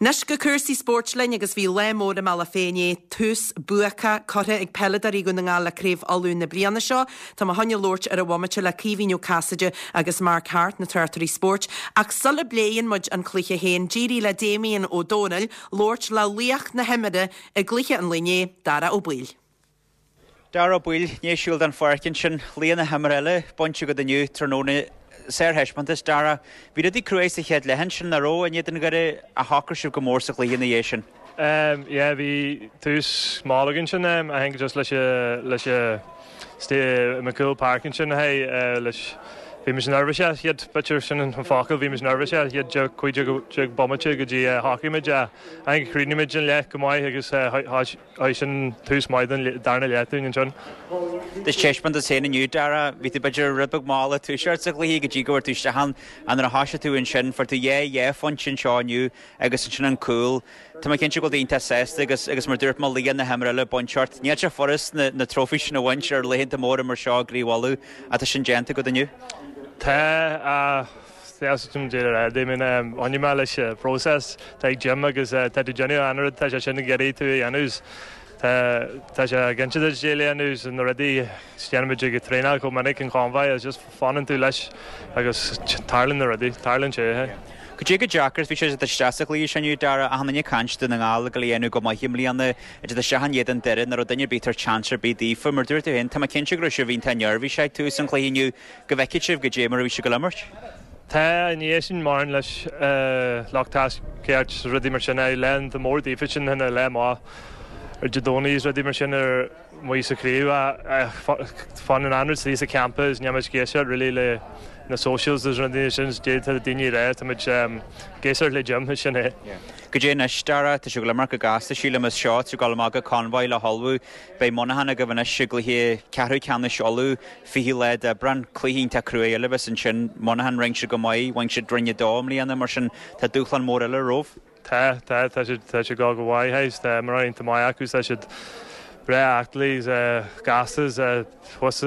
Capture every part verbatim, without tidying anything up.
Anois go cúrsaí spóirt linn agus bhí lá mór i mBealach Féich inné, tús buacach curtha ag peileadóirí Dhún na nGall le Craobh Uladh na bliana seo. Tá mé chun labhairt ar an bhomaite le Caoimhín Ó Casaide agus Mark Harte, na tráchtairí spóirt. Ach sula bpléann muid an cluiche féin, d'éirigh le Damien Ó Dónaill labhairt le laoch na himeartha i gcluiche an lae inné, Dara Ó Baoill. Dara Ó Baoill, ní siúil den pháirc ansin, laoch na himeartha eile bainte agat inniu tráthnóna sárthaispeántas Dara. Bhí rudaí cruaidh sa chéad leath ansin nach raibh in éadan Dhoire ach shocraigh sibh go mór sa chluiche ina dhiaidh sin. Um, yeah, bhí tús mall againn sin um, I think just leis leis McCool Park ansin hey uh, leis bhí muid nervous iad b'fhéidir sin an focal bhí muid nervous iad cúig bomaite go dtí shocraigh muid I think chríochnaigh muid an leath go maith agus sin tús maith den darna leath dúinn ansin. Do thaispeántas féin inniu Dara, bhí tú b'fhéidir rud beag mall ag toiseacht sa chluiche go dtí go bhfuair tú isteach an an a thosaigh tú ansin fuair tú dhá dhá phointe anseo inniu agus ansin an cúl. Tá mé cinnte go bhfuil iontach sásta agus agus mar dúirt mé laoch na himeartha eile bainte ort. Níl sé furast na, na trófaí sin a bhaint ar laethanta móra mar seo gCraobh Uladh atá sin déanta agat inniu. Tá Dé mé leis process tá ag Jim agus tá tú déanamh an rud tá sé sin ag iarraidh tú a dhéanamh Tá sé cinnte déanamh na rudaí déanaimid ag traenáil chomh minic an Convoy is just fanann tú leis agus tarlaíonn na rudaí, tarlaíonn sé. Go dtí go deacair bhí sé isteach sa chluiche sin Dara achan duine ag caint Dún na nGall go dhéanamh go maith i mbliana idir isteach in éadan Doire nach raibh duine ar bith ag tabhairt chance ar bith daofa mar dúirt tú féin tá mé cinnte go raibh sibh iontach neirbhíseach ag tús an chluiche inniu go bhfeicfidh sibh go dé mar a bhí sé go imirt. Tá ní sin mar leis lucht tacaíocht rudaí mar sin é le mór daofa sin ina le má ar Dé Domhnaigh rudaí mar sin ar mu sa chraobh fan an anrud sa campus neamh géise really le na socials is rudaí sin déanta daoine ré tá muid géisir le Jim sin é. Go dé anois Dara tá sé go mar go gasta sílim is seo tú go go Convoy le hullmhú beidh Monaghan agaibh anois i gcluiche ceathrú ceannais Uladh fiche lá d'Aibreán cluiche iontach crua eile bheas ansin Monaghan rinne siad go maith bhain siad Roinn a dó i mbliana mar sin tá dúshlán mór eile romhaibh. Tá tá tá siad tá siad go go mhaith tá mar tá maith acu tá siad breá aclaí gasta thuas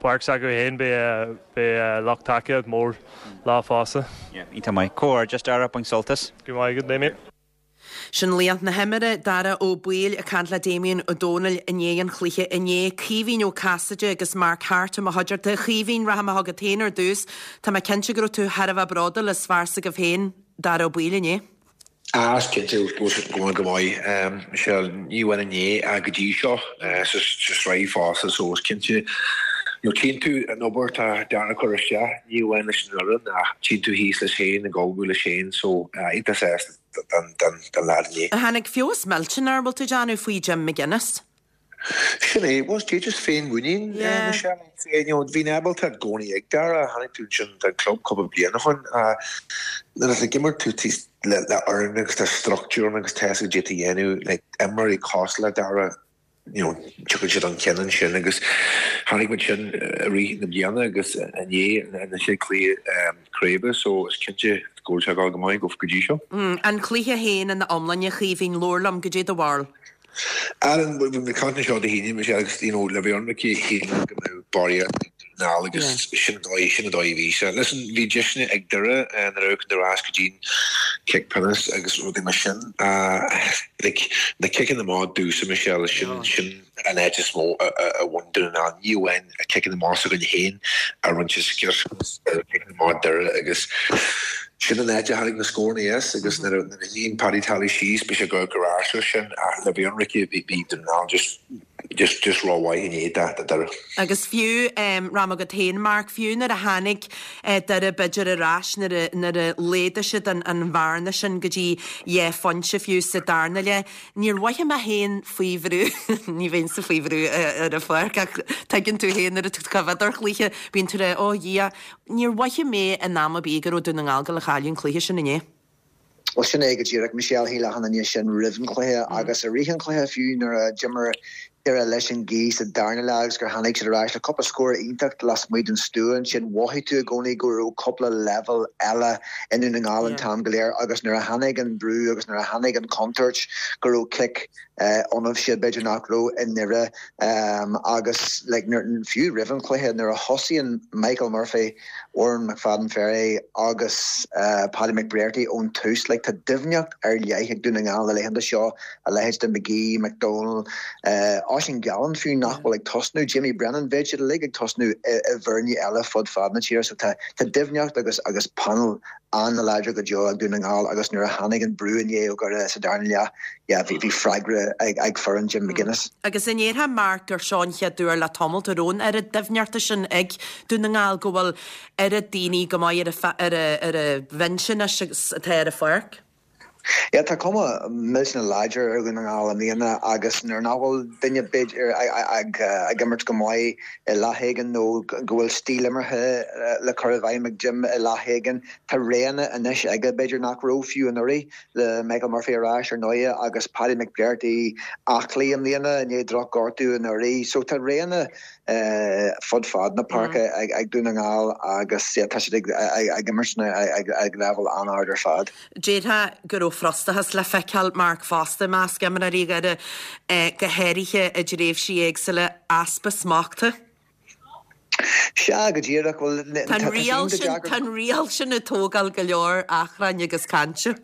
páirc acu féin beidh beidh lucht tacaíocht mór lá fosta. Iontach maith cóir just Dara bain sult as. Go maith go Damien. Sin laoch na himeartha Dara Ó Baoill ag caint le Damien Ó Dónaill i ndiaidh an chluiche inné Caoimhín Ó Casaide agus Mark Harte mo chuideachta Caoimhín rachaidh mé chugat féin ar dtús Tá mé cinnte go raibh tú thar a bheith bródúil as fear s'agaibh féin Dara Ó Baoill inné. Ah cinnte go go maith Michelle ní bhain inné a go dtí seo sa sraith fosta so is cinnte nó tchíonn tú an obair tá Dara chur isteach ní bhain leis an fhoireann ach tchíonn tú thíos leis féin ag ullmhú leis féin so iontach sásta den den den lad inné. Tháinig feabhas millteanach bhfuil tú déanamh faoi Jim McGuinness. Sin é was dé just féinmhuinín Michelle bhí ábalta i gcónaí ag Dara tháinig tú sin den club cúpla bliain ó shin nuair a d'imir tú le le fhoireann agus tá struchtúr agus tá go dtí dhéanamh le imreoirí cosúil le Dara you know tugann siad an ceann sin agus tháinig muid sin i rith na bliana agus inné na sé cluiche craoibhe so is cinnte go bhfuil sé go maith go go dtí seo. An cluiche féin ina iomláine Chaoimhín labhair liom go dtí do bharúil. Alan bhí caint seo Dé hAoine me agus you know le bheith ionraic chéan go mbeadh barraíocht ná agus sin dóigh sin dóigh bhí sé. Listen bhí deiseanna ag Doire na raibh ar ais go dtí cic pionóis agus rudaí mar sin like na ciceanna amach dúsa Michelle sin sin an áit is mó a bhain Dún na nGall ní amháin a ciceanna amach s'againn féin a rinne sciorr ciceanna amach Doire agus sin an áit a tháinig na scóranna as agus nuair a bhíonn Paddy Tally síos bhí sé go go ais sin ach le bheith ionraic bhí bhí Dún na nGall just just just rómhaith inné da Doire. Agus fiú um, ram agat féin Mark fiú nuair a tháinig uh, Doire b'fhéidir ar ais nuair a nuair a laghdaigh siad an, an bhearna sin go dtí dhá phointe fiú sa darna leath. Níor mhothaigh mé féin faoi bhrú ní bheinn sa faoi bhrú ar an pháirc ach tuigeann tú féin nuair a bhíonn ar chluiche bíonn tú ó Dhia níor mhothaigh mé in am ar bith go raibh Dún na nGall go le cailleadh an cluiche sin inné. Well sin é go díreach Michelle shíl achan duine sin roimh an chluiche agus i rith an chluiche fiú nuair a d'imir Doire leis an ngaoth sa darna leath agus gur tháinig siad ar ais le cúpla scór iontach lasmuigh den stua ansin mhothaigh tú i gcónaí go raibh cúpla leibhéal eile i nDún na nGall an t-am go léir agus nuair a tháinig an brú agus nuair a tháinig an chontúirt go raibh cic ionaibhse b'fhéidir nach raibh i nDoire agus like fiú roimh an chluiche nuair a thosaíonn Michael Murphy, Odhrán McFadden-Ferry agus Paddy McBrearty ón tús like tá doimhneacht ar leith ag Dún na nGall na laethanta seo a leithéid de McGee, McDonald, Oisín Gallen fiú nach bhfuil ag tosnú, Jamie Brennan, bheadh siad uilig ag tosnú i bhfoirne eile fud fad na tíre. So tá tá doimhneacht agus agus panel an-láidir go deo ag Dún na nGall agus nuair a tháinig an brú inné ó Dhoire sa darna leath, yeah, bhí bhí freagra ag ag foireann Jim McGuinness. Agus an ndéarfá Mark gur seo an chéad uair le tamall a raibh an oiread doimhneachta sin ag Dún na nGall go bhfuil oiread daoine go maith ar a ar a ar a bhinse anois agus atá ar an pháirc? Yeah, tá cuma millteanach láidir ar Dhún na nGall i mbliana agus nuair nach bhfuil duine b'fhéidir ag ag imirt go maith i leath éigin nó go bhfuil stíl imeartha le cur i bhfeidhm ag Jim i leath éigin, tá roghanna anois aige b'fhéidir nach raibh fiú anuraidh le Michael Murphy ar ais ar ndóigh agus Paddy McBrearty aclaí i mbliana i ndiaidh drochghortú anuraidh. So tá roghanna fud fad na páirce ag Dún na nGall agus tá siad ag imirt ag leibhéal an-ard ar fad. Déarfá go raibh frustrachas le feiceáil, Mark, fosta i measc imreoirí Dhoire, go háirithe i dtréimhsí éagsúla, easpa smachta. Sea, go díreach. Bhuel, tá an riail sin, tá an riail sin ag tógáil go leor achrainn agus cainte.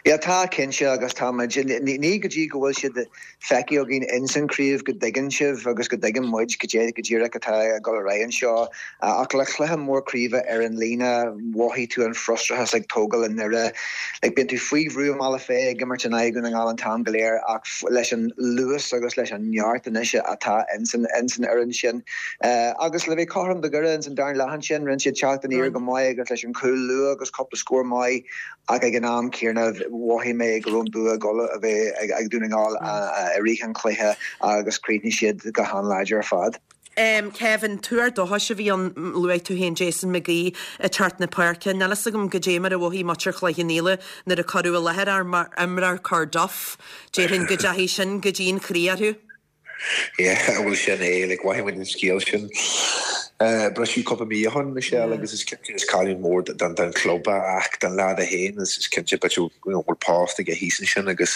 Yeah, tá cinnte agus tá muid, ní go dtí go bhfuil siad feicthe againn ins an chraobh go dtuigeann sibh agus go dtuigeann muid cad é go díreach atá ag dul ar aghaidh anseo ach le cluiche mór craoibhe ar an líne mhothaigh tú an frustrachas ag tógáil i nDoire. Like, bíonn tú faoi bhrú i mBealach Féich ag imirt in aghaidh Dhún na Ngall an t-am go léir ach leis an luas agus leis an neart anois atá ins an ins an fhoireann sin. Agus le bheith cothrom do Dhoire ins an darna leath ansin, rinne siad teacht aniar go maith agus leis an chúl luath agus cúpla scór maith ach ag an am céanna mhothaigh mé go raibh an bua ag dul a bheith ag Dún na nGall i rith an chluiche agus chríochnaigh siad go han-láidir ar fad. Kevin, tuar dóchais a bhí ann, luaigh tú féin Jason McGee ag teacht na páirce. Níl fhios agam goidé mar a mhothaigh muintir Chloich Cheann Fhaola nuair a cuireadh i láthair é mar imreoir Corduff. Déarfainn go dteachaigh sin go dtí an chroí orthu. Yeah, bhuel sin é, like mhothaigh muid an scéal sin briseadh cúpla mí ó shin, Michelle, agus is cinnte is cailliúint mór don don chlub ach don leaid é féin is is cinnte but you know bhfuil post aige thíos ansin agus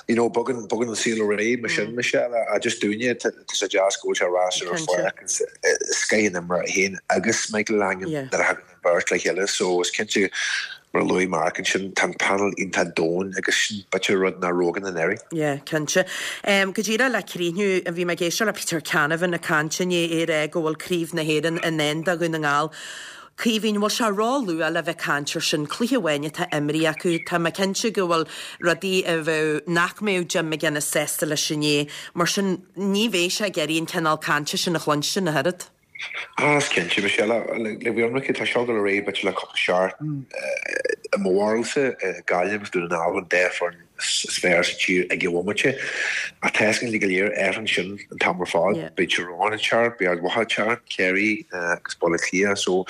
you know bogann bogann an saol ar aghaidh mar sin Michelle a just dúinne tá sé deas go bhfuil sé ar ais ar an pháirc is scoth an imreoir é féin agus Michael Langan nuair a thagann an bheirt le chéile so is cinnte Mar a luaigh Mark ansin, tá an panel iontach domhain agus sin b'fhéidir rud nach raibh againn anuraidh. Yeah, cinnte. Go díreach le críochnú, bhí mé ag éisteacht le Peter Canavan ag caint inné, é ag rá go bhfuil Craobh na hÉireann i ndán do Dhún na nGall. Caoimhín, bhfuil sé ró-luath le bheith ag caint ar sin? Cluiche amháin atá imrithe acu. Tá mé cinnte go bhfuil rudaí a bheadh, nach mbeadh Jim McGuinness sásta leis inné. Mar sin, ní bheidh sé ag iarraidh an cineál cainte sin a chluinstin ach oiread. Ah, is cinnte, Michelle. Le bheith ionraic, tá seo ag dul ar aghaidh b'fhéidir le cúpla seachtain. I mo bharúilsa, Gaillimh agus Dún na nGall an dá foireann is fearr sa tír ag an bhomaite. Ach tá a fhios againn go léir athraíonn sin an t-am ar fad. Beidh Tyrone ag teacht, beidh Ard Mhacha ag teacht, Ciarraí agus Baile Átha Cliath. So,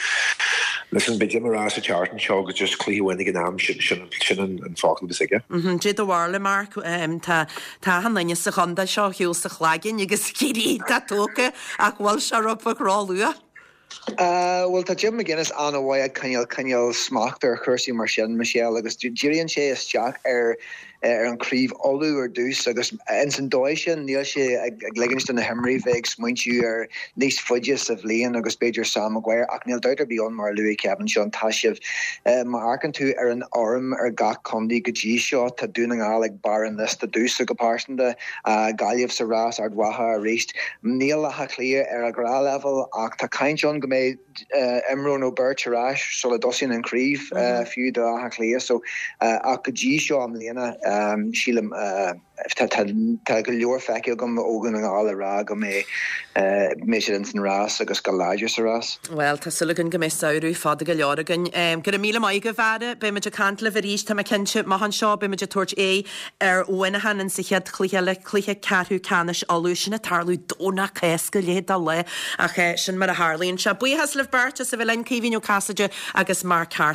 listen, beidh Jim ag rá sa tseachtain seo go just cluiche amháin ag an am, sin sin an focal a bheas aige. Cad é do bharúil, Mark. Tá tá achan duine sa chontae seo ar shiúl sa chlaigeann agus Ciarraí iontach tógtha ach bhfuil sé rud beag ró-luath? Bhuel, tá Jim McGuinness an-mhaith ag coinneáil coinneáil smacht ar chúrsaí mar sin, Michelle, agus díríonn sé isteach ar ar an Chraobh Uladh ar dtús agus ins an dóigh sin níl sé ag ligint do na himreoirí bheith ag smaointiú ar níos faide sa bhliain agus b'fhéidir Sam Maguire ach níl dabht ar bith ann mar a luaigh Kevin seo tá sibh má amharcann tú ar an fhoirm ar gach contae go dtí seo tá Dún na nGall ag barr an liosta domhsa go pearsanta, Gaillimh sa rás, Ard Mhacha arís. Níl Áth Cliath ar a ngnáthleibhéal ach tá caint ann go mbeidh imreoir nó beirt ar ais sula dtosaíonn an chraobh fiú do Áth Cliath so ach go dtí seo i mbliana sílim tá tá go leor feicthe agam ó Dhún na nGall a rá go mbeidh mbeidh siad ins an rás agus go láidir sa rás. Bhuel, tá súil againn go mbeidh samhradh fada go leor againn. Go raibh míle maith agaibh, a fheara. Beidh muid ag caint libh arís, tá mé cinnte, amach anseo. Beidh muid ag tabhairt aghaidh ar Mhuineachán in sa chéad chluiche eile, cluiche ceathrú ceannais Uladh. Sin ag tarlú Domhnach Cásca, leithéid de lá, ach sin mar a tharlaíonn sé. Buíochas libh beirt as a bheith linn, Caoimhín Ó Casaide agus Mark Harte.